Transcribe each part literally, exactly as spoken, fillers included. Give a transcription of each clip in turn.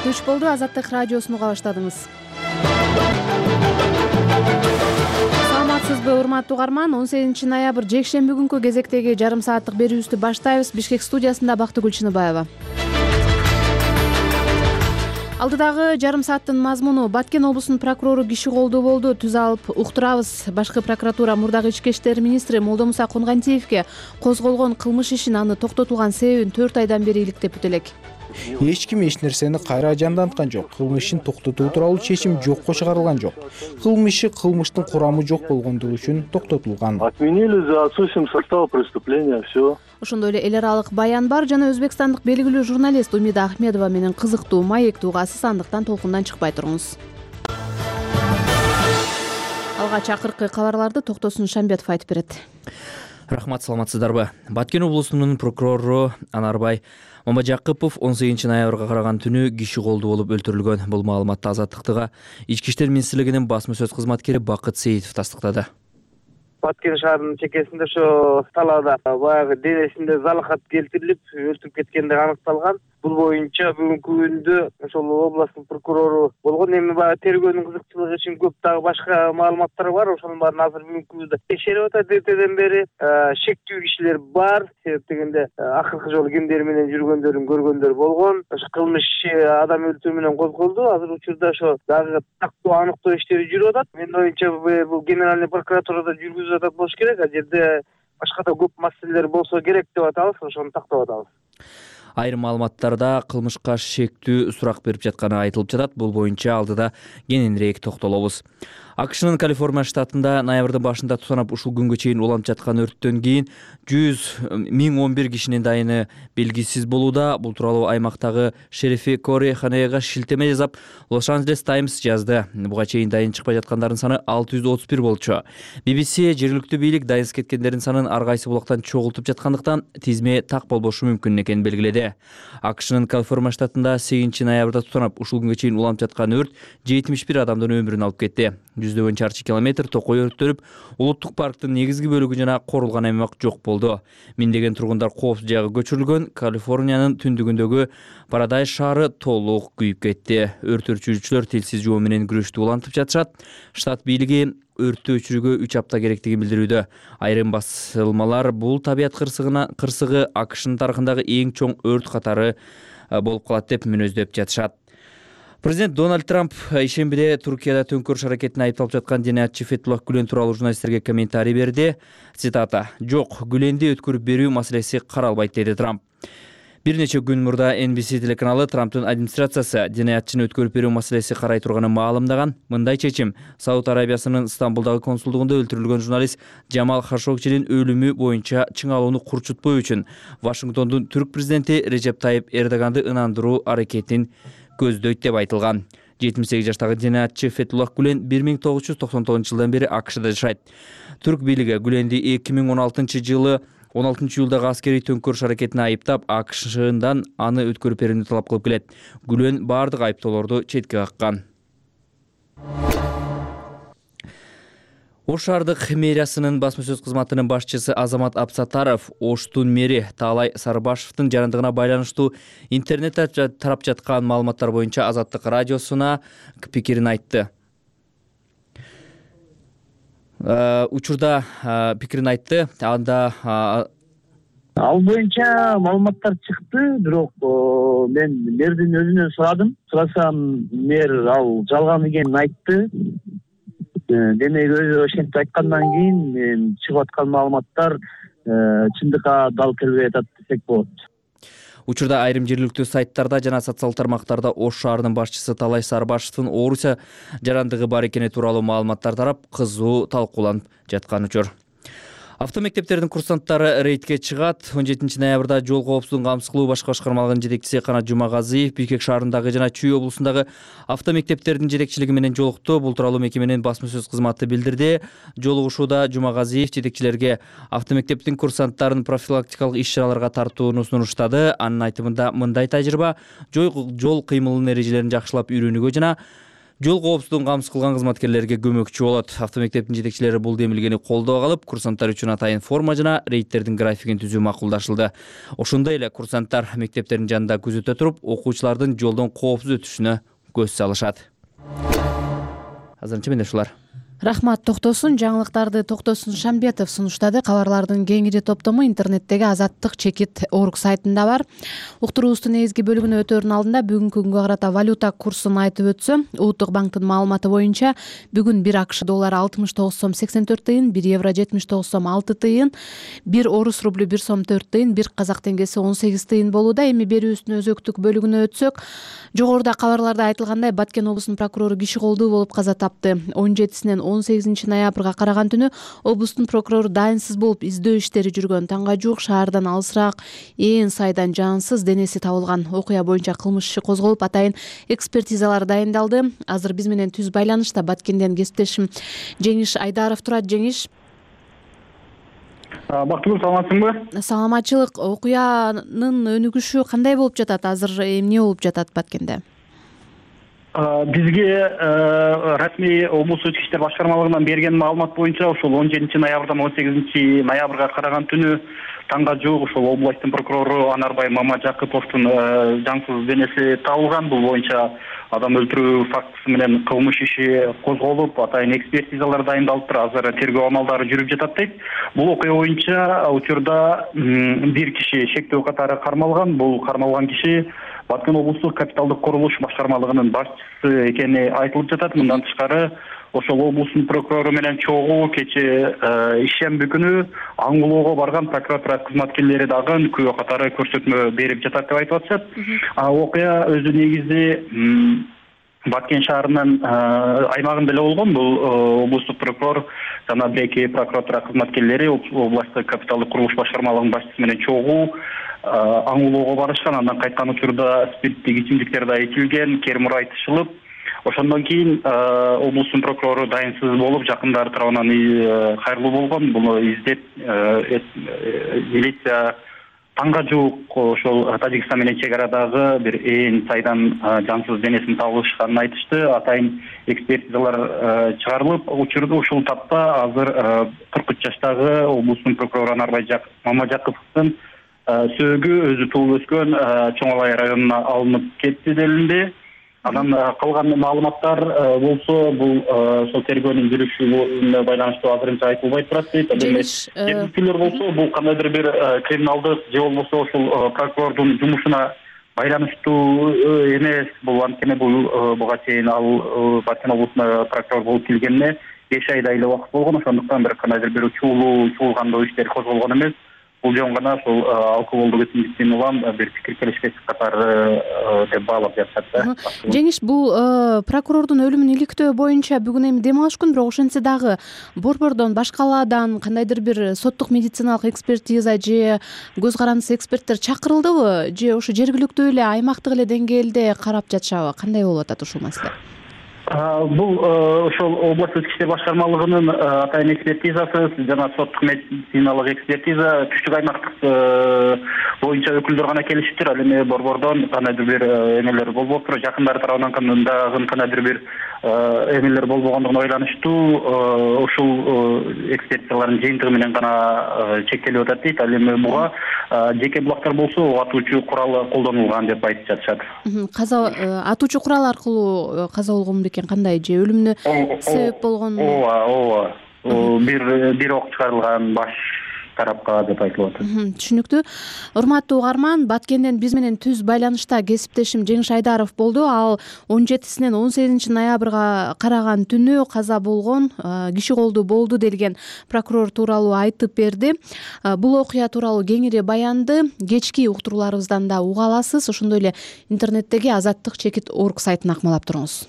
түш болду. Азаттык радиосун уга баштадыңыз. Саламатсызбы, урматтуу угарман? он сегизинчи ноябрь жекшемби күнкү кезектеги жарым сааттык берүүбүздү баштайбыз. Бишкек студиясында Бактыгүл Чыныбаева. Алдыдагы жарым сааттын мазмуну: Баткен облусунун прокурору киши колдуу болду. Түз алып уктурабыз. Башкы прокуратура мурдагы ички иштер министри Молдомуса Кунгантиевке козголгон кылмыш ишин аны токтотулган себебин төрт айдан бери иликтеп элек. Эч ким эч нерсени кайра жанданткан жок. Кылмыш ишин токтотуу тууралуу чечим жокко чыгарылган жок. Кылмыш иши кылмыштын курамы жок болгондугу үчүн токтотулган. Отменили за отсутствием состава преступления, все. Ошондой эле эл аралык баян бар жана өзбекстандык белгилүү журналист Умида Ахмедова менен кызыктуу маектүү угасы сандыктан толкундан чыкпай туруңуз. Алгач акыркы кабарларды Токтосун Шамбетов айтып берет. Рахмат, саламатсыздарбы? Баткен облусунун прокурору Анарбай Мамажакыпов он сегизинчи ноябрга караган түнү киши колдуу болуп өлтүрүлгөн. Бул маалыматты Азаттыктыга Ички иштер министрлигинин басма сөз кызматкери Бакыт Сейитов тастыктады. Баткен шаарынын чекесинде ошо талаада баягы денесинде залахат келтирилип өлтүрүп кеткендиги аныкталган. Бул боюнча бүгүнкү күндө ошол областтын прокурору болгон. Эми баягы тергөөнүн кызыкчылыгы үчүн көп дагы башка маалыматтар бар. Ошонун баарын азыр бүгүнкү күндө текшерип атат. Эртеден бери шектүү кишилер бар. Себеп дегенде акыркы жолу кимдер менен жүргөндөрүн көргөндөр болгон. Ошо кылмыш адам өлтүрүү менен козголду. Азыр учурда ошо дагы тактоо аныктоо иштери жүрүп атат. Менин оюмча бул генеральный прокуратурада жүргүзүп атат болуш керек. А жерде башка да көп маселелер болсо керек деп атабыз. Ошону тактап атабыз. Айрым маалыматтарда кылмышка шектүү сурак берип жатканы айтылып жатат. Бул боюнча алдыда кененирээк токтолобуз. АКШнын Калифорния штатында ноябрдын башында тутанып ушул күнгө чейин уланып жаткан өрттөн кийин жүз миң он бир кишинин дайыны белгисиз болууда. Бул тууралуу аймактагы шерифи Кори Ханега шилтеме жасап Лос-Анджелес Таймс жазды. Буга чейин дайын чыкпай жаткандардын саны алты жүз отуз бир болчу. би би си жергиликтүү бийлик дайынсыз кеткендердин санын ар кайсы булактан чогултуп жаткандыктан тизме так болбошу мүмкүн экенин белгиледи. АКШнын Калифорния штатында сегизинчи ноябрда тутанып ушул күнгө чейин уланып жаткан өрт жетимиш бир адамдын өмүрүн алып кетти. Жүздөгөн чарчы километр токой өрттөрүп, улуттук парктын негизги бөлүгү жана корулган аймак жок болду. Миңдеген тургундар коопсуз жайга көчүрүлгөн. Калифорниянын түндүгүндөгү Парадайз шаары толук күйүп кетти. Өрт өчүрүүчүлөр тилсиз жоо менен күрөштү улантып жатышат. Штат бийлиги өрттү өчүрүүгө үч апта керектигин билдирүүдө. Айрым басылмалар бул табият кырсыгына кырсыгы АКШнын тарыхындагы эң чоң өрт катары болуп калат деп мүнөздөп жатышат. Президент Дональд Трамп ишембиде Туркияда төңкөрүш аракетине айыпталып жаткан денеатчы Фетхуллах Гүлен тууралуу журналисттерге комментарий берди. Цитата: "Жок, Гүленди өткөрүп берүү маселеси каралбайт", деди Трамп. Бир нече күн мурда Эн Би Си телеканалы Трамптын администрациясы денеатчыны өткөрүп берүү маселеси карай турганын маалымдаган. Мындай чечим Сауд Арабиясынын Стамбулдагы консулдугунда өлтүрүлгөн журналист Жамал Хашогчинин өлүмү боюнча чыңалууну курчутпоо үчүн Вашингтондун түрк президенти Режеп Тайип Эрдоганды ынандыруу аракетин көздөйт деп айтылган. жетимиш сегиз жаштагы денеатчы Фетхуллах Гүлен бир миң тогуз жүз токсон тогузунчу жылдан бери АКШда жашайт. Түрк бийлиги Гүленди эки миң он алтынчы жылы он алтынчы июлдагы аскерий төңкөрүш аракетине айыптап, АКШдан аны өткөрүп берүүнү талап кылып келет. Гүлен бардык айыптоолорду четке каккан. Ош шаардык мэриясынын басма сөз кызматынын башчысы Азамат Абсатаров Оштун мэри Таалай Сарыбашевдин жарандыгына байланыштуу интернетте тарап жаткан маалыматтар боюнча Азаттык радиосуна пикирин айтты. Учурда пикирин айтты. Анда Ал боюнча маалыматтар чыкты, бирок мен мэрдин өзүнөн сурадым. Сурасам, мэр ал жалган экенин айтты. Демек өзү ошентип айткандан кийин чыгып аткан маалыматтар чындыкка дал келбей атат десек болот. Учурда айрым жергиликтүү сайттарда жана социалдык тармактарда Ош шаарынын башчысы Таалай Сарыбашевдин ооруса жарандыгы бар экени тууралуу маалыматтар тарап, кызуу талкууланып жаткан учур. Автомектептердин курсанттары рейдке чыгат. он жетинчи ноябрда жол коопсуздугун камсыздоо башкы башкармалыгынын жетекчиси Канат Жумагазиев Бишкек шаарындагы жана Чүй облусундагы автомектептердин жетекчилиги менен жолукту. Бул тууралуу мекеменин басма сөз кызматы билдирди. Жолугушууда Жумагазиев жетекчилерге автомектептин курсанттарын профилактикалык иш-чараларга тартууну сунуштады. Анын айтымында мындай тажрыйба жол кыймылынын эрежелерин жакшылап үйрөнүүгө жана Жол коопсуздугун камсыз кылган кызматкерлерге көмөкчү болот. Автомектептин жетекчилери бул демилгени колдоого алып, курсанттар үчүн атайын форма жана рейдтердин графигин түзүү макулдашылды. Ошондой эле курсанттар мектептердин жанында күзөтө туруп, окуучулардын жолдон коопсуз өтүшүнө көз салышат. Азырынча менде ушулар. Рахмат, токтосун. Жаңылыктарды Токтосун Шамбетов сунуштады. Кабарлардын кеңири топтому интернеттеги Азаттык чекит орг сайтында бар. Уктуруубуздун негизги бөлүгүнө өтөөрдүн алдында бүгүнкү күнгө карата валюта курсун айтып өтсөм, Улуттук банктын маалыматы боюнча бүгүн бир АКШ доллары алтымыш тогуз сом сексен төрт тыйын, бир евро жетимиш тогуз сом алты тыйын, бир орус рублю бир сом төрт тыйын, бир казак теңгеси он сегиз тыйын болууда. Эми берүүбүздүн өзөктүк бөлүгүнө өтсөк, жогоруда кабарларда айтылгандай Баткен облусунун прокурору киши колдуу болуп каза тапты. он жетисинен он сегизинчи ноябрга караган түнү облустун прокурору дайынсыз болуп издөө иштери жүргөн. Таңга жуук шаардан алысыраак ээн сайдан жансыз денеси табылган. Окуя боюнча кылмыш иши козголуп, атайын экспертизалар дайындалды. Азыр биз менен түз байланышта Баткенден кесиптешим Жеңиш Айдаров турат. Жеңиш, бактылуу, саламатсыңбы? Саламатчылык. Окуянын өнүгүшү кандай болуп жатат? Азыр эмне болуп жатат Баткенде? Бизге расмий облустук ички иштер башкармалыгынан берген маалымат боюнча ушул он жетинчи ноябрдан он сегизинчи ноябрга караган түнү таңга жуук ушул областтын прокурору Анарбай Мамажакыповдун жансыз денеси табылган. Бул боюнча адам өлтүрүү фактысы менен кылмыш иши козголуп, атайын экспертизалар дайындалып, азыр тергөө амалдары жүрүп жатат дейт. Бул окуя боюнча учурда бир киши шектөө катары кармалган. Бул кармалган киши Баткен облустук капиталдык курулуш башкармалыгынын башчысы экени айтылып жатат. Мындан тышкары ошол облустун прокурору менен чогуу кечээ ишемби күнү аңгулоого барган прокуратура кызматкерлери дагы күбө катары көрсөтмө берип жатат деп айтып атышат. Окуя өзү негизи Баткен шаарынын аймагында эле болгон. Бул облустук прокурор жана беки прокуратура кызматкерлери областтык капиталдык курулуш башкармалыгынын башчысы менен чогуу аңгулоого барышкан. Андан кайткан учурда спирттик ичимдиктер да ичилген, кермур айтышылып, ошондон кийин облустун прокурору дайынсыз болуп, жакындары тарабынан кайрылуу болгон. Буну издеп милиция таңга жуук ошол Тажикстан менен чек арадагы бир ээн сайдан жансыз денесин табылышканын айтышты. Атайын экспертизалар чыгарылып, учурда ушул тапта азыр кырк үч жаштагы облустун прокурору Анарбай Мамажакыповдун сөөгү өзү туулуп өскөн Чоң Алай районуна алынып кетти делинди. Анан калган маалыматтар болсо, бул ошол тергөөнүн жүрүшүнө байланыштуу азырынча айтылбай турат дейт. Жергиликтүүлөр болсо, бул кандайдыр бир криминалдык же болбосо ошол прокурордун жумушуна байланыштуу эмес. Бул анткени бул буга чейин ал Баткен облусуна прокурор болуп келгенине беш айдай эле убакыт болгон. Ошондуктан бир кандайдыр бир чуулуу чуулгандоо иштер козголгон эмес. Бул жөн гана ошол алкоголдук ичимдиктен улам бир пикир келишпеш катары деп баалап жатышат да. Жеңиш, бул прокурордун өлүмүн иликтөө боюнча бүгүн эми дем алыш күн, бирок ошентсе дагы борбордон, башка калаадан кандайдыр бир соттук медициналык экспертиза же көз карандысы эксперттер чакырылдыбы, же ошо жергиликтүү эле аймактык эле деңгээлде карап жатышабы? Кандай болуп атат ушул маселе? Бул ошол областтык ички иштер башкармалыгынын атайын экспертизасы жана соттук медициналык экспертиза түштүк аймактык боюнча өкүлдөр гана келишиптир. Ал эми борбордон кандайдыр бир эмелер болбоптур, жакындары тарабынан дагы кандайдыр бир эмелер болбогондугуна байланыштуу ушул экспертизалардын жыйынтыгы менен гана чектелип атат дейт. Ал эми буга жеке булактар болсо атуучу курал колдонулган деп айтып жатышат. Каза атуучу курал аркылуу каза болгон бекен, кандай, же өлүмүнө себеп болгон? Ооба, ооба. Бир бир ок чыгарылган баш тарапка деп айтылып атат. Түшүнүктүү. Урматтуу угарман, Баткенден биз менен түз байланышта кесиптешим Жеңиш Айдаров болду. Ал он жетисинен он сегизинчи ноябрга караган түнү каза болгон, киши колдуу болду делген прокурор тууралуу айтып берди. Бул окуя тууралуу кеңири баянды кечки уктурууларыбыздан да уга аласыз. Ошондой эле интернеттеги Азаттык чекит орг сайтын акмалап туруңуз.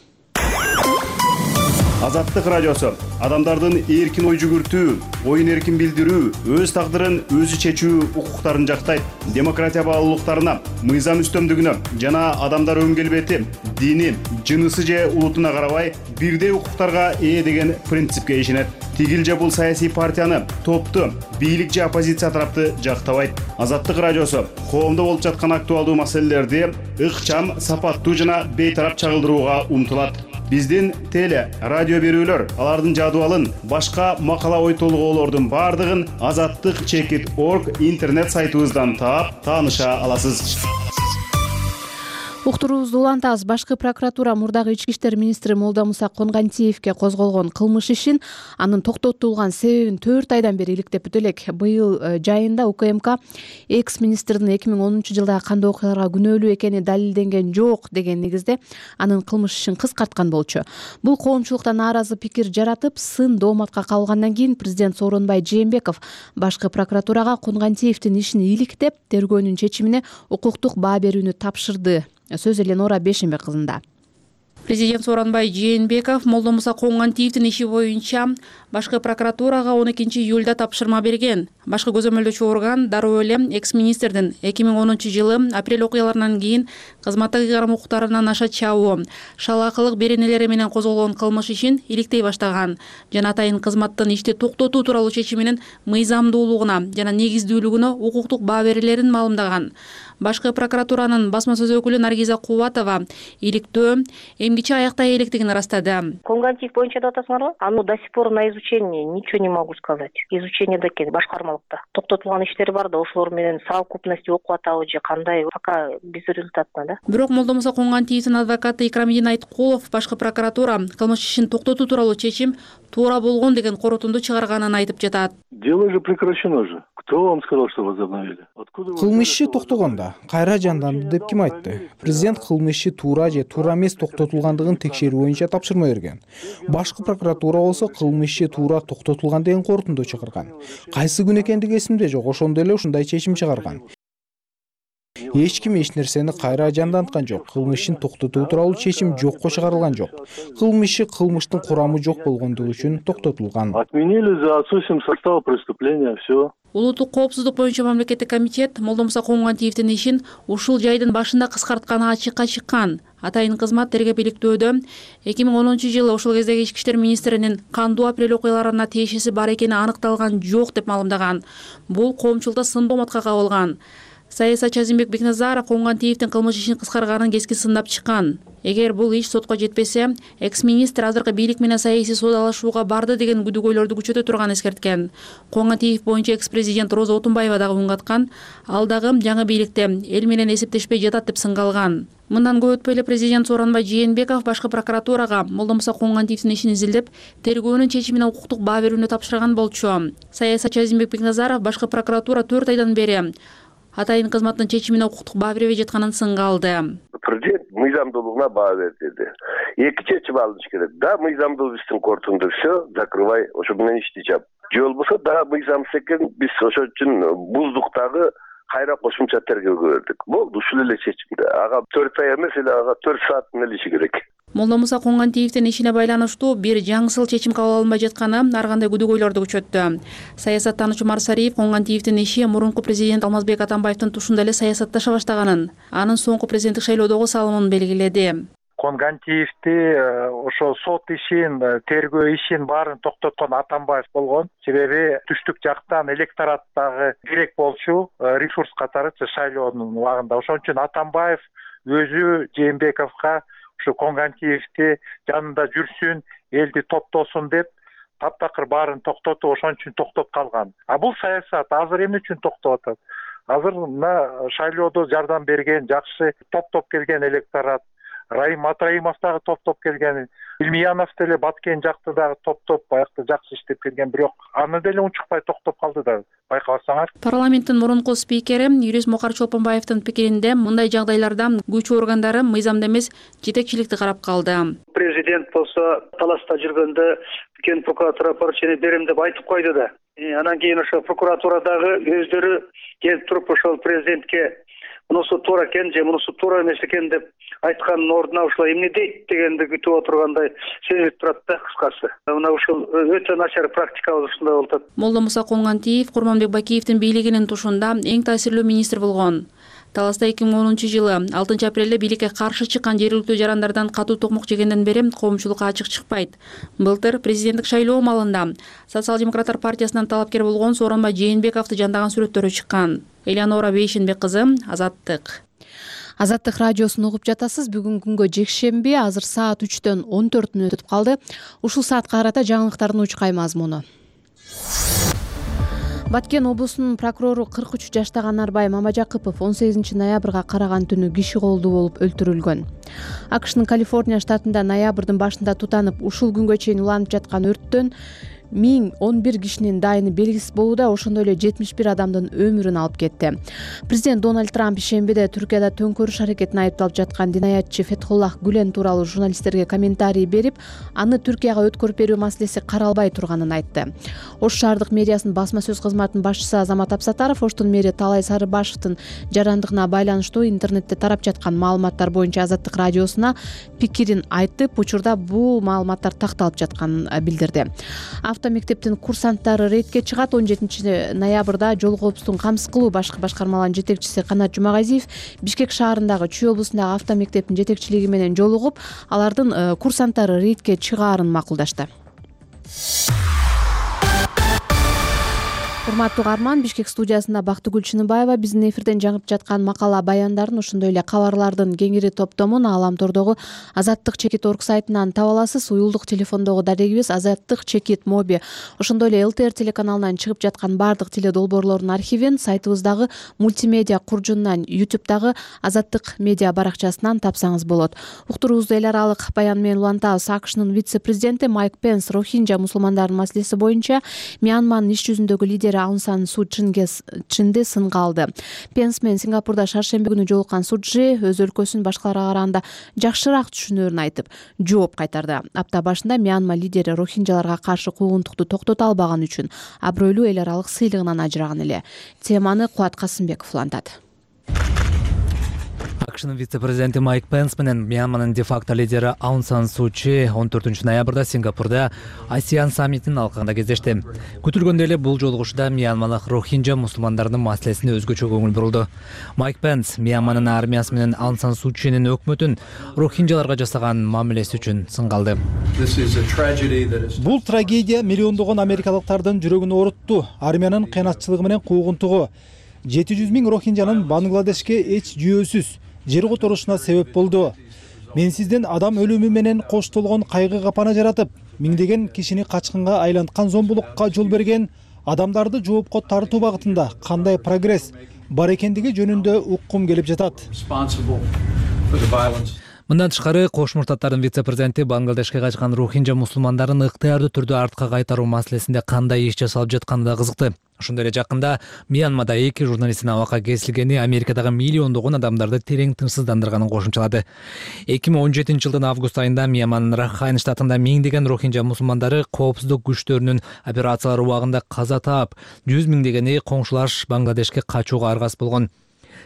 Азаттык радиосу адамдардын эркин ой жүгүртүү, оюн эркин билдирүү, өз тагдырын өзү чечүү укуктарын жактайт. Демократия баалуулуктарына, мыйзам үстөмдүгүнө жана адамдар өн келбети, дини, жынысы же улутуна карабай бирдей укуктарга ээ деген принципке ишенет. Тигил же бул саясий партияны, топту, бийлик же оппозиция тарапты жактабайт. Азаттык радиосу коомдо болуп жаткан актуалдуу маселелерди ыкчам, сапаттуу жана бейтарап чагылдырууга умтулат. биздин теле радио берүүлөр алардын жадыбалын башка макала ой толгоолордун баардыгын азаттык чекит орг интернет сайтыбыздан таап тааныша аласыз. Уктуруубузду улантабыз. Башкы прокуратура мурдагы ички иштер министри Молдомуса Конгантиевке козголгон кылмыш ишин анын токтотулган себебин төрт айдан бери иликтеп бүтө элек. Быйыл жайында УКМК экс министрдин эки миң онунчу жылдагы кандуу окуяларга күнөөлүү экени далилденген жок деген негизде анын кылмыш ишин кыскарткан болчу. Бул коомчулукта нааразы пикир жаратып, сын дооматка кабылгандан кийин президент Сооронбай Жээнбеков башкы прокуратурага Конгантиевдин ишин иликтеп, тергөөнүн чечимине укуктук баа берүүнү тапшырды. Сөз Эленора Бешенбек кызында. Президент Сооронбай Жээнбеков Молдомуса Конгантиевдин иши боюнча башкы прокуратурага он экинчи июлда тапшырма берген. Башкы көзөмөлдөөчү орган дароо эле экс-министрдин эки миң онунчу жылы апрель окуяларынан кийин кызматтык ыйгарым укуктарынан аша чабуу, шалаакылык беренелери менен козголгон кылмыш ишин иликтей баштаган жана атайын кызматтын ишти токтотуу тууралуу чечиминин мыйзамдуулугуна жана негиздүүлүгүнө укуктук баа берүүлөрүн маалымдаган. Башкы прокуратуранын басма сөз өкүлү Наргиза Кубатова иликтөө эмгиче аяктай электигин ырастады. Конгантиев боюнча деп атасыңарбы? Аны до сих пор на изучение, ничего не могу сказать. Изучениеде экен башкармалыкта. Токтотулган иштер бар да, ошолор менен совокупность окуп атабы же кандай, пока безрезультатно да. Бирок Молдомуса Конгантиевдин адвокаты Икрамидин Айткулов башкы прокуратура кылмыш ишин токтотуу тууралуу чечим туура болгон деген корутунду чыгарганын айтып жатат. Дело же прекращено же. Кто вам сказал, что возобновили? Кылмыш иши токтогондо кайра жанданды деп ким айтты? Президент кылмыш иши туура же туура эмес токтотулгандыгын текшерүү боюнча тапшырма берген. Башкы прокуратура болсо кылмыш иши туура токтотулган деген корутунду чыгарган. Кайсы күн экендиги эсимде жок, ошондо эле ушундай чечим чыгарган. Эч ким эч нерсени кайра жанданткан жок. Кылмыш ишин токтотуу тууралуу чечим жокко чыгарылган жок. Кылмыш иши кылмыштын курамы жок болгондугу үчүн токтотулган. Отменили за отсутствием состава преступления, все. Улуттук коопсуздук боюнча мамлекеттик комитет Молдомуса Конгантиевдин ишин ушул жайдын башында кыскартканы ачыкка чыккан. Атайын кызмат тергеп иликтөөдө эки миң онунчу жылы ошол кездеги ички иштер министринин кандуу апрель окуяларына тиешеси бар экени аныкталган жок деп маалымдаган. Бул коомчулукта сын дооматка кабылган. Саясатчы Азимбек Бекназаров Конгантиевдин кылмыш ишин кыскарганын кескен сындап чыккан. Эгер бул иш сотко жетпесе, экс-министр азыркы бийлик менен саясий соодалашууга барды деген күдүгөйлөрдү күчөтө турганын эскерткен. Конгантиев боюнча экс-президент Роза Отунбаева дагы үн каткан. Ал дагы жаңы бийликте эл менен эсептешпей жатат деп сынгалган. Мындан көп өтпөй эле президент Сооронбай Жээнбеков башкы прокуратурага Молдомуса Конгантиевдин ишин изилдеп, тергөөнүн чечимине укуктук баа берүүнү тапшырган болчу. Саясатчы Азимбек Бекназаров башкы прокуратура төрт айдан бери атайын кызматтын чечимине укуктук баа бербей жатканын сынгалды. Президент мыйзамдуулугуна баа берди. Эки чечим алыныш керек. Да, мыйзамдуу иштин кортунду все, закрывай, ошо менен ишти жап. Же болбосо да мыйзамсыз экен, биз ошол үчүн буздуктагы кайра кошумча тергөөгө бердик. Болду, ушул эле чечимде. Ага төрт ай эмес эле, ага төрт сааттын эле иши керек. Молдомуса Конгантиевдин ишине байланыштуу бир жаңысыл чечим кабыл алынбай жатканы ар кандай күдүгөйлөрдү күчөттү. Саясаттануучу Марсариев Конгантиевдин иши мурунку президент Алмазбек Атамбаевдин тушунда эле саясатташа баштаганын, анын соңку президенттик шайлоодогу салымын белгиледи. Конгантиевди ошо сот ишин, тергөө ишин баарын токтоткон Атамбаев болгон. Себеби түштүк жактан электораттагы керек болчу ресурс катары шайлоонун убагында. Ошон үчүн Атамбаев өзү Жээнбековго ушу Конгантиевди жанында жүрсүн, элди топтосун деп таптакыр баарын токтотуп, ошон үчүн токтоп калган. А бул саясат азыр эмне үчүн токтоп атат? Азыр мына шайлоодо жардам берген, жакшы топтоп келген электорат, Райым Матраимов дагы топтоп келген, Илмиянов деле Баткен жакты дагы топтоп баягы жакшы иштеп келген, бирок аны деле унчукпай токтоп калды да, байкабасаңар. Парламенттин мурунку спикери юрист Мукар Чолпонбаевдин пикиринде мындай жагдайларда күч органдары мыйзамда эмес жетекчиликти карап калды. Президент болсо таласта жүргөндө кен прокуратура поручение берем деп айтып койду да. Анан кийин ошо прокуратурадагы өздөрү келип туруп ошол президентке мунусу туура экен же мунусу туура эмес экен деп айткандын ордуна ушулай эмне дейт дегенди күтүп отургандай сезилип турат да, кыскасы. Мына ушул өтө начар практикабыз ушундай болуп атат. Молдомуса Конгантиев Курманбек Бакиевдин бийлигинин тушунда эң таасирлүү министр болгон. Таласта эки миң онунчу жылы алтынчы апрелде бийликке каршы чыккан жергиликтүү жарандардан катуу токмок жегенден бери коомчулукка ачык чыкпайт. Былтыр президенттик шайлоо маалында Социал-демократтар партиясынан талапкер болгон Сооронбай Жээнбековду жандаган сүрөттөрү чыккан. Эленора Бешенбек кызы, Азаттык. Азаттык радиосун угуп жатасыз. Бүгүн күнгө жекшемби, азыр саат үчтөн он төрт мүнөт өтүп калды. Ушул саатка карата жаңылыктардын учкай мазмуну. Баткен облусунун прокурору кырк үч жаштагы Анарбай Мамажакыпов он сегизинчи ноябрга караган түнү киши колдуу болуп өлтүрүлгөн. АКШнын Калифорния штатында ноябрдын башында тутанып, ушул күнгө чейин уланып жаткан өрттөн миң он бир кишинин дайыны белгисиз болууда, ошондой эле жетимиш бир адамдын өмүрүн алып кетти. Президент Дональд Трамп ишембиде Түркияда төңкөрүш аракетине айыпталып жаткан динаятчы Фетхуллах Гүлен тууралуу журналисттерге комментарий берип, аны Түркияга өткөрүп берүү маселеси каралбай турганын айтты. Ош шаардык мэриясынын басма сөз кызматынын башчысы Азамат Абсатаров Оштун мэри Талай Сарыбашевдин жарандыгына байланыштуу интернетте тарап жаткан маалыматтар боюнча Азаттык радиосуна пикирин айтып, учурда бул маалыматтар такталып жатканын билдирди. Автомектептин курсанттары рейдке чыгат. он жетинчи ноябрда жол коопсуздугун камсыз кылуу башкы башкармаларынын жетекчиси Канат Жумагазиев Бишкек шаарындагы Чүй облусундагы автомектептин жетекчилиги менен жолугуп, алардын курсанттары рейдке чыгаарын макулдашты. Урматтуу угарман, Бишкек студиясында Бактыгүл Чыныбаева биздин эфирден жаңып жаткан макала баяндарын, ошондой эле кабарлардын кеңири топтомун Ааламтордогу Азаттык чекит точка орг сайтынан таба аласыз. Уюлдук телефондогу дарегибиз Азаттык чекит моби. Ошондой эле эл тэ эр телеканалынан чыгып жаткан бардык теле долбоорлордун архивин сайтыбыздагы мультимедиа куржунунан, ютубтагы Азаттык медиа баракчасынан тапсаңыз болот. Уктуруубузду эл аралык баян менен улантабыз. АКШнын вице-президенти Майк Пенс Рохинджа мусулмандарынын маселеси боюнча Мьянманын иш жүзүндөгү лидери Аун Сан Су Чынды сынга алды. Пенс менен Сингапурда шаршемби күнү жолуккан Суджи өз өлкөсүн башкаларга караганда жакшыраак түшүнөөрүн айтып, жооп кайтарды. Апта башында Мьянма лидери рохинджаларга каршы куугунтукту токтото албаган үчүн абройлуу эл аралык сыйлыгынан ажыраган эле. Теманы Кубат Касымбеков улантат. АКШнын вице-президенти Майк Пенс менен Мьянманын де-факто лидери Аун Сан Су Чи он төртүнчү ноябрда Сингапурда Асиан саммитинин алкагында кездешти. Күтүлгөндөй эле бул жолугушууда Мьянмалык рохинджа мусулмандарынын маселесине өзгөчө көңүл бурулду. Майк Пенс Мьянманын армиясы менен Аун Сан Су Чинин өкмөтүн рохинджаларга жасаган мамилеси үчүн сынга алды. Бул трагедия миллиондогон америкалыктардын жүрөгүн оорутту. Армиянын кыянатчылыгы менен куугунтугу жети жүз миң рохинджанын Бангладешке эч жүйөсүз жер которушуна себеп болду. Мен сизден адам өлүмү менен коштолгон кайгы капана жаратып, миңдеген кишини качкынга айланткан зомбулукка жол берген адамдарды жоопко тартуу багытында кандай прогресс бар экендиги жөнүндө уккум келип жатат. Мындан тышкары Кош Муртаттардын вице-президенти Бангладешке качкан рохинджа мусулмандарын ыктыярдуу түрдө артка кайтаруу маселесинде кандай иш жасалып жатканы да кызыкты. Ошондой эле жакында Мьянмада эки журналисттин абакка кесилгени Америкадагы миллиондогон адамдарды терең тынчсыздандырганын кошумчалады. эки миң он жетинчи жылдын август айында Мьянманын Рахайн штатында миңдеген рохинджа мусулмандары коопсуздук күчтөрүнүн операциялары убагында каза таап, жүз миңдегени коңшулаш Бангладешке качууга аргасыз болгон.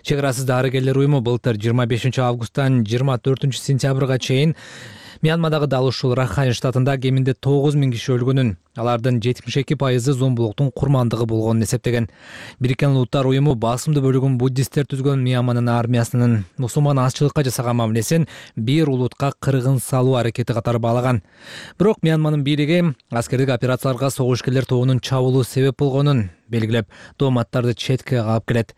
Чек арасыз дарыгерлер уюму былтыр жыйырма бешинчи августтан жыйырма төртүнчү сентябрга чейин Мьянмадагы дал ушул Рахайн штатында кеминде тогуз миң киши өлгөнүн, алардын жетимиш эки пайызы зомбулуктун курмандыгы болгонун эсептеген. Бириккен Улуттар уюму басымдуу бөлүгүн буддисттер түзгөн Мьянманын армиясынын мусулман азчылыкка жасаган мамилесин бир улутка кыргын салуу аракети катары баалаган. Бирок Мьянманын бийлиги аскердик операцияларга согушкерлер тобунун чабуулу себеп болгонун белгилеп, тооматтарды четке кагып келет.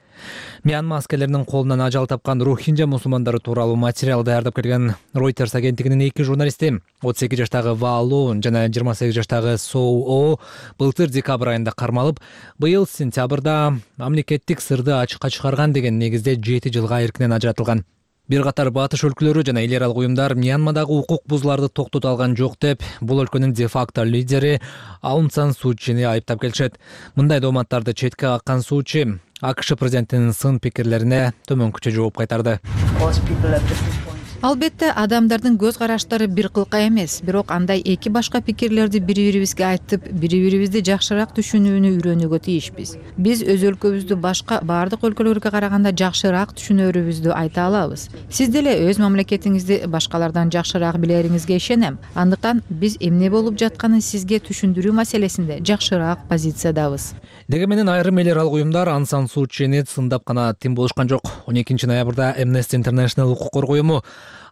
Мьянма аскерлеринин колунан ажал тапкан рохинджа мусулмандары тууралуу материал даярдап келген Reuters агенттигинин эки журналисти, отуз эки жаштагы Ва Лоун жана жыйырма сегиз жаштагы Соу О былтыр декабрь айында кармалып, быйыл сентябрда мамлекеттик сырды ачыкка чыгарган деген негизде жети жылга эркинен ажыратылган. Бир катар батыш өлкөлөрү жана эл аралык уюмдар Мьянмадагы укук бузууларды токтото алган жок деп, бул өлкөнүн де-факто лидери Аун Сан Су Чини айыптап келишет. Мындай дооматтарды четке каккан Су Чи АКШ президентинин сын пикирлерине төмөнкүчө жооп кайтарды. Албетте, адамдардын көз караштары бир кылка эмес, бирок андай эки башка пикирлерди бири-бирибизге айтып, бири-бирибизди жакшыраак түшүнүүнү үйрөнүүгө тийишпиз. Биз өз өлкөбүздү башка баардык өлкөлөргө караганда жакшыраак түшүнөөрүбүздү айта алабыз. Сиз деле өз мамлекетиңизди башкалардан жакшыраак билериңизге ишенем. Андыктан биз эмне болуп жатканын сизге түшүндүрүү маселесинде жакшыраак позициядабыз. Дегенменен айрым эл аралык уюмдар Аун Сан Су Чини сындап гана тим болушкан жок. он экинчи ноябрда Amnesty International укук коргоо уюму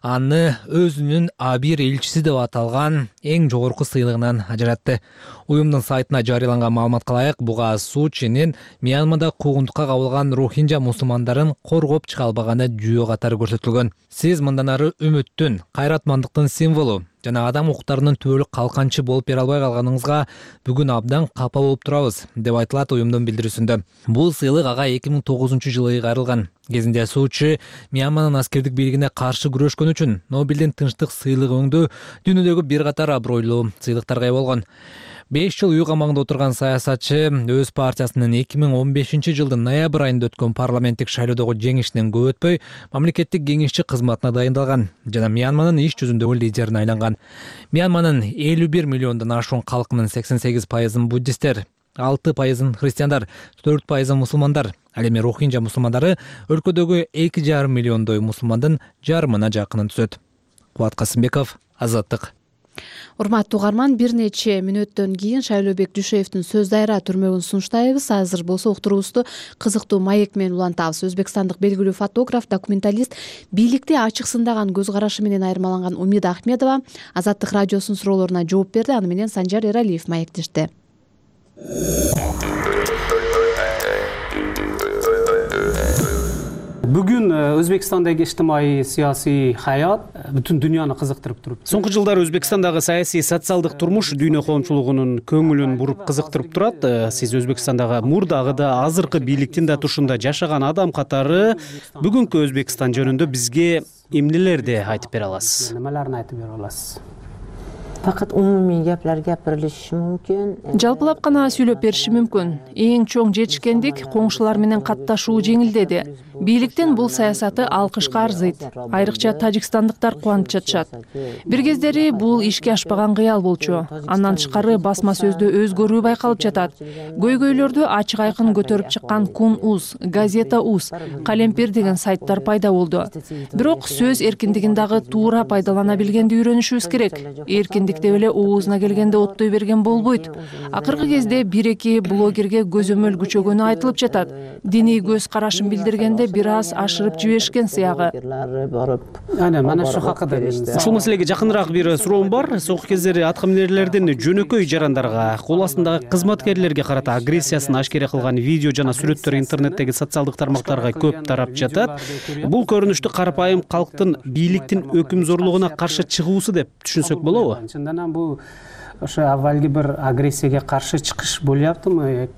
аны өзүнүн а бир элчиси деп аталган эң жогорку сыйлыгынан ажыратты. Уюмдун сайтына жарыяланган маалыматка ылайык, буга Су Чжинин Мьянмада куугунтукка кабылган рохинжа мусулмандарын коргоп чыга албаганы жүйө катары көрсөтүлгөн. Сиз мындан ары үмүттүн, кайратмандыктын символу жана адам укуктарынын түбөлүк калканчы болуп бере албай калганыңызга бүгүн абдан капа болуп турабыз, деп айтылат уюмдун билдирүүсүндө. Бул сыйлык ага эки миң тогузунчу жылы кайрылган. Кезинде Су Чжи Мьянманын аскердик бийлигине каршы күрөшкөн үчүн Нобелдин тынчтык сыйлыгы өңдүү дүйнөдөгү бир катар абройлуу сыйлыктарга ээ болгон. беш жыл үй камагында отурган саясатчы өз партиясынын эки миң он бешинчи жылдын ноябрь айында өткөн парламенттик шайлоодогу жеңишинен көп өтпөй мамлекеттик кеңешчи кызматына дайындалган жана Мьянманын иш жүзүндөгү лидерине айланган. Мьянманын элүү бир миллиондон ашуун калкынын сексен сегиз пайызын буддисттер, алты пайызын христиандар, төрт пайызын мусулмандар. Ал эми рохинжа мусулмандары өлкөдөгү эки жарым миллиондой мусулмандын жарымына жакынын түзөт. Кубат Касымбеков, Азаттык. Урматтуу угарман, бир нече мүнөттөн кийин Шайлообек Дүйшеевдин сөз дайра түрмөгүн сунуштайбыз. Азыр болсо уктуруубузду кызыктуу маек менен улантабыз. Өзбекстандык белгилүү фотограф, документалист, бийликти ачык сындаган көз карашы менен айырмаланган Умида Ахмедова Азаттык радиосунун суроолоруна жооп берди. Аны менен Санжар Эралиев маектешти. Бүгүн Өзбекстандагы ижтимаий саясий хаят бүтүн дүйнөнү кызыктырып туруп. Соңку жылдары Өзбекстандагы саясий социалдык турмуш дүйнө коомчулугунун көңүлүн буруп кызыктырып турат. Сиз Өзбекстандагы мурдагы да азыркы бийликтин да тушунда жашаган адам катары бүгүнкү Өзбекстан жөнүндө бизге эмнелерди айтып бере аласыз? Немелерни айтып бере аласыз? Факат умумий геплер гапирилиши мүмкүн. Жалпылап гана сүйлөп бериши мүмкүн. Эң чоң жетишкендик коңшулар менен катташуу жеңилдеди. Бийликтин бул саясаты алкышка арзыйт. Айрыкча тажикстандыктар кубанып жатышат. Бир кездери бул ишке ашпаган кыял болчу. Андан тышкары басма сөздө өзгөрүү байкалып жатат. Көйгөйлөрдү ачык айкын көтөрүп чыккан Кун Уз, Газета Уз, Калемпир деген сайттар пайда болду. Бирок сөз эркиндигин дагы туура пайдалана билгенди үйрөнүшүбүз керек. Эркиндик деп эле оозуна келгенде оттой берген болбойт. Акыркы кезде бир-эки блогерге көзөмөл күчөгөнү айтылып жатат. Диний көз карашын билдиргенде бир аз ашырып жиберишкен сыягы. Ана мана ушул хакында ушул маселеге жакыныраак бир суроом бар. Соңку кездери аткаминерлердин жөнөкөй жарандарга, кол астындагы кызматкерлерге карата агрессиясын ашкере кылган видео жана сүрөттөр интернеттеги социалдык тармактарга көп тарап жатат. Бул көрүнүштү карапайым калктын бийликтин өкүм зорлугуна каршы чыгуусу деп түшүнсөк болобу? Бул ошо аввалги бир агрессияга каршы чыгыш болуптуму?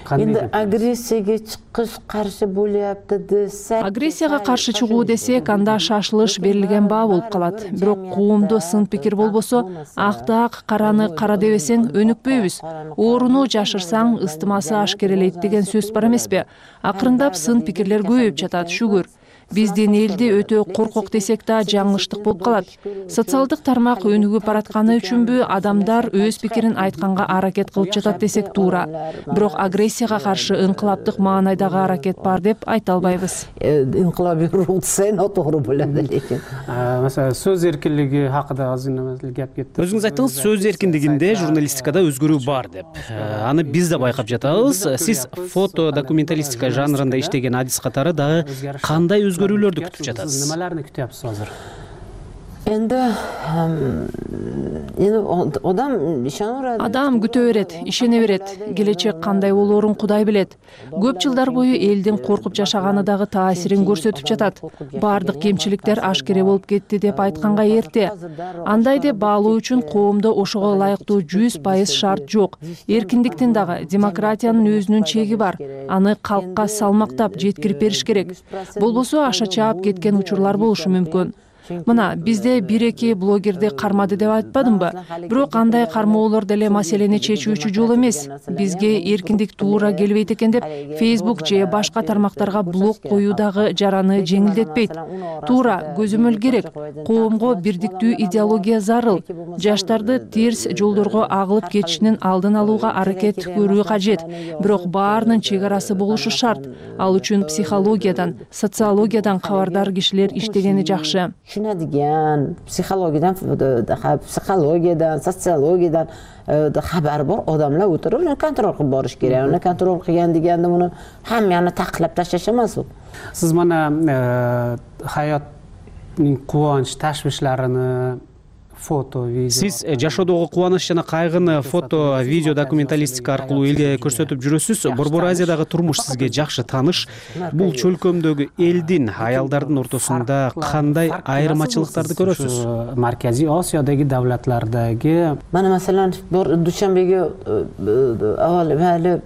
Эndi агрессияга чыгыш каршы болупту десек, агрессияга каршы чыгуу десек, анда шашылыш берилген баа болуп калат. Бирок коомдо сын пикир болбосо, акты ак, караны кара дебесең өнүкпөйбүз. Ооруну жашырсаң ыстымасы ашкерелейт деген сөз бар эмеспи? Акырындап сын пикирлер көбөйүп жатат, шүгүр. Биздин элди өтө коркок десек да жаңылыштык болуп калат. Социалдык тармак өнүгүп баратканы үчүнбү адамдар өз пикирин айтканга аракет кылып жатат десек туура. Бирок агрессияга каршы ыңкылаптык маанайдагы аракет бар деп айта албайбыз. Инкылабий рух десең туура болот экен. Маселен, сөз эркиндиги хакында азыр неме гап кетти. Өзүңүз айттыңыз, сөз эркиндигинде журналистикада өзгөрүү бар деп. Аны биз да байкап жатабыз. Сиз фото документалистика жанрында иштеген адис катары дагы кандай өзгөрүүлөрдү күтүп жатасыз? Немелерни күтөбүз азыр? Эndi эndi адам ишене берет. Адам күтө берет, ишене берет. Келечек кандай болоорун Кудай билет. Көп жылдар бою элдин коркуп жашаганы дагы таасирин көрсөтүп жатат. Бардык кемчиликтер ашкере болуп кетти деп айтканга эрте. Андай деп баалоо үчүн коомдо ошого ылайыктуу жүз пайыз шарт жок. Эркиндиктин дагы, демократиянын өзүнүн чеги бар. Аны калкка салмактап жеткирип бериш керек. Болбосо аша чаап кеткен учурлар болушу мүмкүн. Мына бизде бир-эки блогерди кармады деп айтпадымбы? Бирок андай кармоолор деле маселени чечүүчү жол эмес. Бизге эркиндик туура келбейт экен деп Facebook же башка тармактарга блок коюу дагы жараны жеңилдетпейт. Туура көзөмөл керек. Коомго бирдиктүү идеология зарыл. Жаштарды терс жолдорго агылып кетишинин алдын алууга аракет көрүү кажет. Бирок баарынын чек арасы болушу шарт. Ал үчүн психологиядан, социологиядан кабардар кишилер иштегени жакшы. Tushunadigan, psixologiyadan, psixologiyadan, sotsiologiyadan xabar bor odamlar o'tirib, uni kontrol qilib borish kerak. Uni kontrol qilgan deganda buni hammani taqlab tashlash emas u. Siz mana hayot кубанч ташвишларыны фото, видео. Сиз жашоодогу кубаныч жана кайгыны фото, видео документалистика аркылуу элге көрсөтүп жүрөсүз. Борбор Азиядагы турмуш сизге жакшы тааныш. Бул чөлкөмдөгү элдин, аялдардын ортосунда кандай айырмачылыктарды көрөсүз? Марказий Осиёдагы давлатлардагы мана маселен Душанбеге авал мали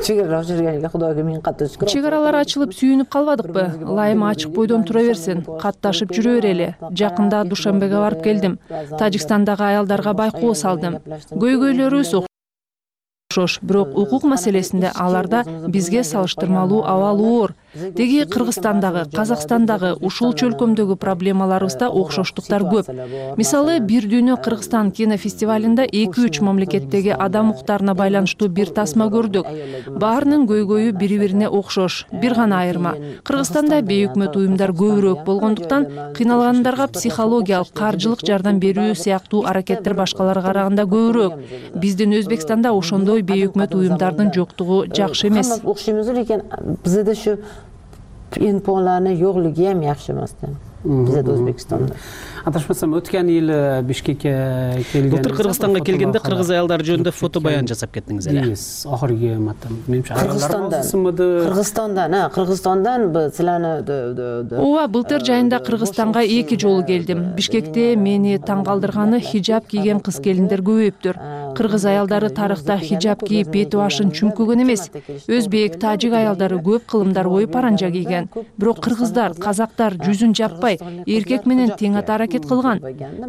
чек ара ачылганга Кудайга миң катты шүкүр. Чек аралар ачылып сүйүнүп калбадыкпы? Ылайым ачык бойдон тура берсин, катташып жүрө берели. Жакында Душанбеге барып келдим. Тажикстандагы аялдарга байкоо салдым. Көйгөйлөрүбүз окшош, бирок укук маселесинде аларда бизге салыштырмалуу абал оор. Деги Кыргызстандагы, Казакстандагы ушул чөлкөмдөгү проблемаларыбызда окшоштуктар көп. Мисалы, Бир дүйнө Кыргызстан кинофестивалында эки үч мамлекеттеги адам укуктарына байланыштуу бир тасма көрдүк. Баарынын көйгөйү бири-бирине окшош. Бир гана айырма. Кыргызстанда бейөкмөт уюмдар көбүрөөк болгондуктан кыйналгандарга психологиялык, каржылык жардам берүү сыяктуу аракеттер башкаларга караганда көбүрөөк. Биздин Өзбекстанда ошондой бейөкмөт уюмдардын жоктугу жакшы эмес. Окшойбуз, лекин бизде шу инфоларны жоклугу эм жакшы эмес да. Бизде Өзбекстанда. Адашмасам, өткөн эл Бишкекке келген. Былтыр Кыргызстанга келгенде кыргыз аялдары жөнүндө фото баян жасап кеттиңиз эле. Ахыркы матам. Менимче Кыргызстандан, Кыргызстандан, а Кыргызстандан силаны Ооба, былтыр жайында Кыргызстанга эки жолу келдим. Бишкекте мени таң калтырганы хижаб кийген кыз келиндер көбөйүптүр. Кыргыз аялдары тарыхта хижаб кийип бети башын чүмкөгөн эмес. Өзбек, тажик аялдары көп кылымдар коюп паранжа кийген. Бирок кыргыздар, казактар жүзүн жаппай, эркек менен тең ата аракет кылган.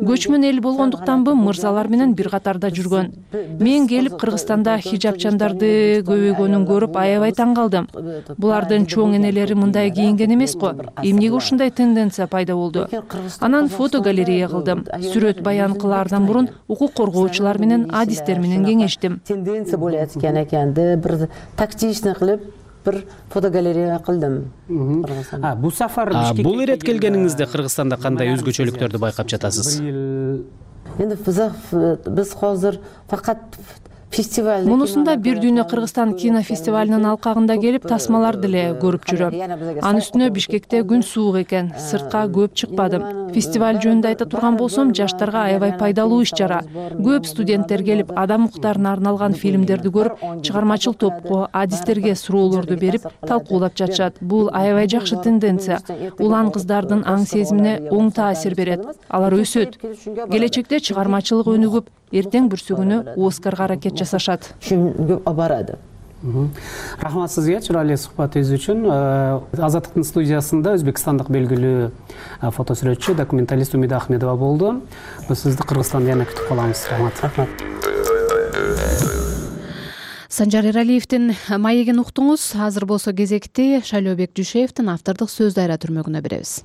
Көчмөн эл болгондуктанбы мырзалар менен бир катарда жүргөн. Мен келип Кыргызстанда хижабчандарды көбөйгөнүн көрүп аябай таң калдым. Булардын чоң энелери мындай кийинген эмес го. Эмнеге ушундай тенденция пайда болду? Анан фотогалерея кылдым. Сүрөт баян кылаардан мурун укук коргоочулар менен, адистер менен кеңештим. Тенденция болот экен экенди, бир тактичный кылып бир фотогалерея кылдым. А, бул сафар Бишкекке бул ирет келгениңизде Кыргызстанда кандай өзгөчөлүктөрдү байкап жатасыз? Эndi биз биз азыр факат фестиваль. Мунусунда Бир дүйнө Кыргызстан кинофестивалынын алкагында келип тасмаларды эле көрүп жүрөм. Анын үстүнө Бишкекте күн суук экен, сыртка көп чыкпадым. Фестиваль жөнүндө айта турган болсом, жаштарга аябай пайдалуу иш-чара. Көп студенттер келип, адам укуктарына арналган фильмдерди көрүп, чыгармачыл топко, адистерге суроолорду берип, талкуулап жатышат. Бул аябай жакшы тенденция. Улан кыздардын аң сезимине оң таасир берет. Алар өсөт. Келечекте чыгармачылык өнүгүп, эртең бүрсүгүнө Оскарга аракет жасашат. Көп барады. Рахмат сизге чырайлуу сухбатыңыз үчүн. Азаттыктын студиясында өзбекстандык белгилүү фотосүрөтчү, документалист Умида Ахмедова болду. Биз сизди Кыргызстанда жана күтүп калабыз. Рахмат. Рахмат. Санжар Эралиевдин маегин уктуңуз. Азыр болсо кезекти Шайлообек Дүйшеевдин автордук сөз дайра түрмөгүнө беребиз.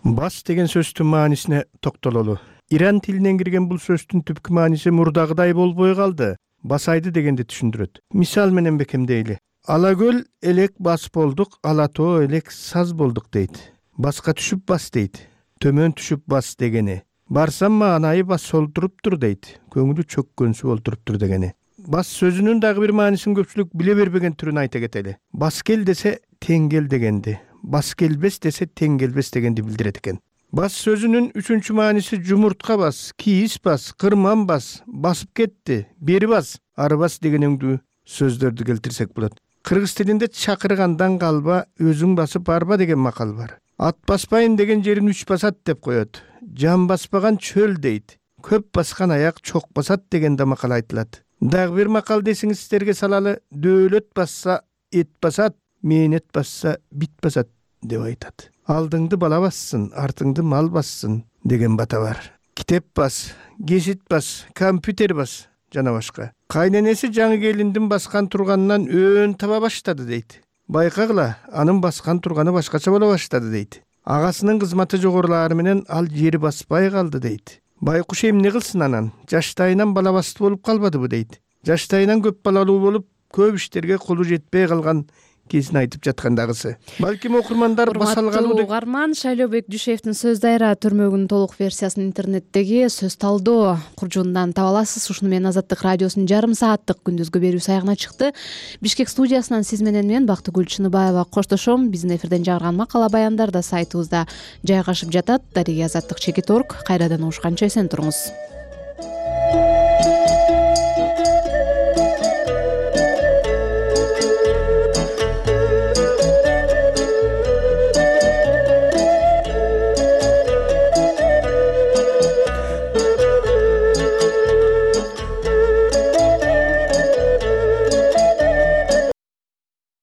Бас деген сөздүн маанисине токтололу. Иран тилинен кирген бул сөздүн түпкү мааниси мурдагыдай болбой калды. Басайды дегенди түшүндүрөт. Мисал менен бекемдейли. Ала көл элек бас болдук, ала тоо элек саз болдук дейт. Баска түшүп бас дейт. Төмөн түшүп бас дегени. Барсам маанайы бас олтуруптур дейт. Көңүлү чөккөнсү олтуруптур дегени. Бас сөзүнүн дагы бир маанисин көпчүлүк биле бербеген түрүн айта кетели. Бас кел десе тең кел дегенди. Бас келбес десе тең келбес дегенди билдирет экен. Бас сөзүнүн үчүнчү мааниси жумуртка бас, кийис бас, кырман бас, басып кетти, бери бас, ары бас деген өңдүү сөздөрдү келтирсек болот. Кыргыз тилинде чакыргандан калба, өзүң басып барба деген макал бар. Ат баспайын деген жерин үч басат деп коет. Жан баспаган чөл дейт. Көп баскан аяк чок басат деген да макал айтылат. Дагы бир макал десиңиз сиздерге салалы, дөөлөт басса эт басат, мээнет басса бит басат деп айтат. Алдыңды бала бассын, артыңды мал бассын деген бата бар. Китеп бас, гезит бас, компьютер бас жана башка. Кайненеси жаңы келиндин баскан турганынан өөн таба баштады дейт. Байкагыла, анын баскан турганы башкача боло баштады дейт. Агасынын кызматы жогорулаары менен ал жери баспай калды дейт. Байкуш эмне кылсын анан? Жаштайынан бала басты болуп калбадыбы дейт. Жаштайынан көп балалуу болуп, көп иштерге колу жетпей калган кезин айтып жаткандагысы. Балким окурмандар баса алгалуу деп. Угарман Шайлообек Дүйшеевдин Сөз дайра төрмөгүнүн толук версиясын интернеттеги сөз талдоо куржунунан таба аласыз. Ушуну менен Азаттык радиосунун жарым сааттык күндүзгү берүүсү аягына чыкты. Бишкек студиясынан сиз менен мен Бактыгүл Чыныбаева коштошом. Биздин эфирден чыгарган макала баяндар да сайтыбызда жайгашып жатат. Дарыгы Азаттык чекит точка орг. Кайрадан угушканча эсен туруңуз.